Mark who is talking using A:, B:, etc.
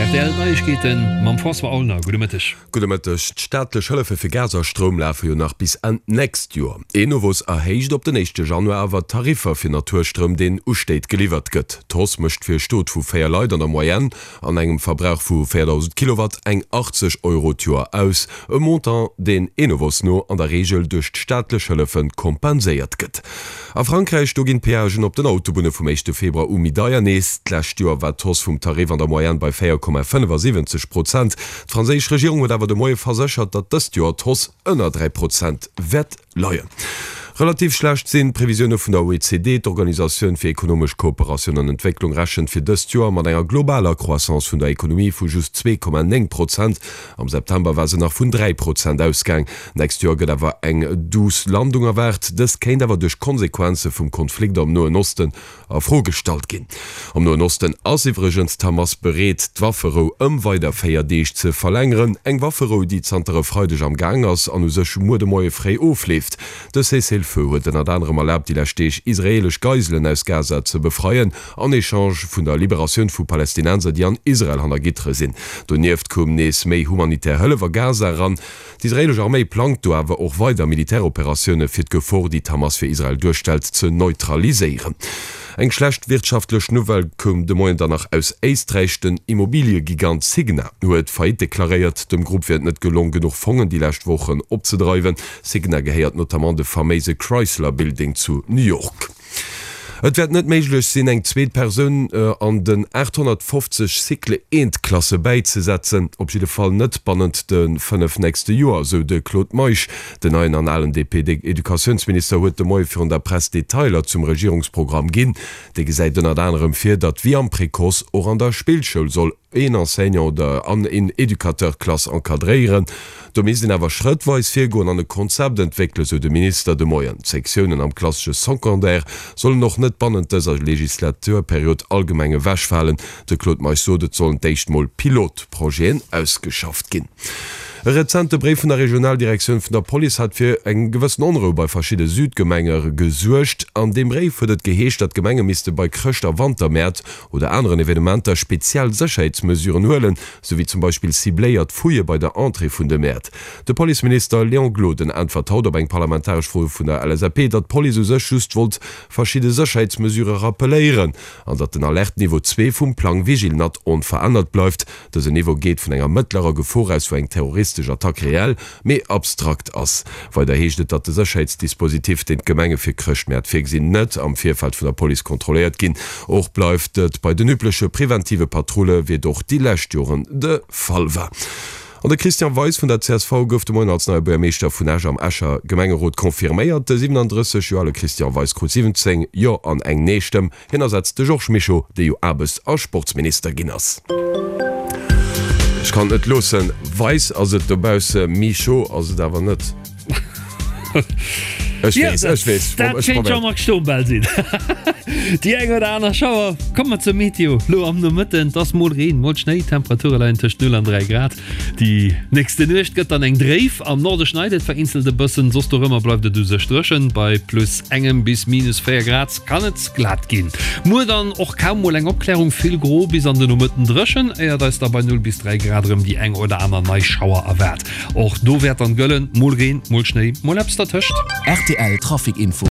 A: Rtl Neiegkeeten mam François Aulner. Gudde Mëtteg.
B: Gudde Mëtteg. D'staatlech Hëllefe fir Gas a Stroum lafe jo nach bis Enn d'nächst Joer. Enovos erhéicht op den éischte Januar awer d'Tariffer fir Naturstroum, deen u Stéit geliwwert gëtt. D'Hausse mécht fir e Stot vu 4 Leit an der Moyenne an engem Verbrauch vu 4.000 Kilowatt eng 80 Euro d'Joer aus, e Montant, deen Enovos no an der Reegel duerch d'staatlech Hëllefe kompenséiert gëtt. A Frankräich, do ginn d'Peagen op den Autobunne vum éischte Februar u méi deier. Nees d'lescht Joer war d'Hausse vum Tarif an der Moyenne bei 4,75 Prozent. D'franséisch Regierung huet awer de Moie verséchert, datt dëst Joer d'Hausse ënner 3 Prozent wäert leien. Relativ schlecht sinn d'Previsioune vun der OECD. D'Organisatioun fir ekonomesch Kooperatioun an Entwécklung rechent fir dëst Joer mat enger globaler Croissance vun der Ekonomie vu just 2,9 Prozent. Am September war se nach vun 3 Prozent ausgaang. D'nächst Joer gëtt awer eng duuss Landung erwaart. Dës kéint awer duerch d'Konsequenze vum Konflikt am Noen Osten A Fro gestallt ginn. Am Noen Osten ass iwwregens d'Hamas bereet, d'Wafferou ëm weider 4 Deeg ze verlängeren. Eng Wafferou, déi zanter e Freideg am Gaang ass an u sech muer de Moie fréi ofleeft. De Cessez-le-feu huet ënnert anerem erlaabt, déi lescht Deeg israeelesch Geiselen aus Gaza ze befreien, en Echange vun der Liberatioun vu Palästinenser, déi an Israel hanner Gittere sinn. Donieft koum nees méi humanitär Hëllef a Gaza eran. D'israeelesch Arméi plangt do awer och weider Militäroperatioune fir d'Gefor, déi d'Hamas fir Israel duerstellt, ze neutraliséieren. Eng schlecht wirtschaftlech Nouvelle koum de Moien dann nach aus Éisträich, Den Immobiliëgigant Signa huet Faillite deklaréiert. Dem Grupp wier et net gelong, genuch Fongen déi lescht Wochen opzedreiwen. Signa gehéiert notamment de faméise Chrysler Building zu New York. Et wäert net méiglech sinn, eng zweet Persoun an den 850 Cycle I-Klasse bäizesetzen, op jidde Fall net bannent de 5 nächste Joer, sou de Claude Meisch. Den neien an alen DP-Educatiounsminister huet de Moie virun der Press Detailer zum Regierungsprogramm ginn. Dee gesäit ënnert anerem vir, datt wéi am Précoce och an der Spillschoul soll een Enseignant oder an een Educateur d'Klass encadréieren. Do misst een awer schrëttweis virgoen an e Konzept entwéckelen, sou de Minister de Moien. D'Sektiounen am klassesche Secondaire sollen och net bannent dëser Legislaturperiod allgemeng ewechfalen. De Claude Meisch sot, et sollen d'éischt mol Pilotprojeten ausgeschafft ginn. E rezente Bréif vun der Regionaldirektioun vun der Police hat fir eng gewëssen Onrou bei verschidde Südgemenge gesuergt. An deem Bréif huet et geheescht, datt d'Gemenge misste bei Chrëscht a Wantermäert oder aneren Evenementer speziell Sécherheetsmesuren huelen, sou wéi zum Beispill cibléiert Fouillë bei der Entrée vun de Mäert. De Policeminister Léon Gloden äntwert haut op eng parlamentaresch Fro vun der LSAP, datt d'Police u sech just wollt verschidde Sécherheetsmesurë rappeléieren an datt den Alerte-Niveau 2 vum Plang Vigilnat onverännert bleift. Dësen Niveau geet vun enger mëttlerer Gefor aus, wou eng terroristesch Attack reell, mee abstrakt ass. Weider heescht et, datt de Sécherheetsdispositif, deen d'Gemenge fir Chrëschtmäert virgesinn, net am Virfeld vun der Police kontrolléiert ginn. Och bleift et bei den übleche preventive Patrulle, wéi et och déi lescht Joren de Fall war. An de Christian Weis vun der csv gouf de Moien als neie Buergermeeschter vun Esch am Escher Gemengerot confirméiert. De 37 Joer ale Christian Weis krut 17 Jo an eng Nee-Stëmm. Hien ersetzt de Georges Mischo, dee jo Aarbechts a Sportsminister ginn ass. Ech kann et net loossen, Weis ass et dobausse, Mischo ass et awer net. Ech weess, ech weess.
A: Dat kéint Jean-Marc Stombel sinn. Déi eng oder aner Schauer. Komme mer zur Meteo. Lo am Nomëtten, et ass mol Reen, mol Schnéi, d'Temperature leien tëscht 0 an 3 Grad. Déi nächste Nuecht gëtt dann eng dréif, am Norde schneit et vereenzelt e bëssen, soss dorëmmer bleift et u sech dréchen. Bei plus engem bis minus 4 Grad kann et glat ginn. Muer dann och kaum mol eng Opklärung, vill gro bis an de Nomëtten dréchen, éiert eis da bei 0 bis 3 Grad erëm déi eng oder aner nei Schauer erwaart. Och do wäert dann gëllen, mol Reen, mol Schnéi, mol eppes dertëscht.
C: Rtl Trafic Info.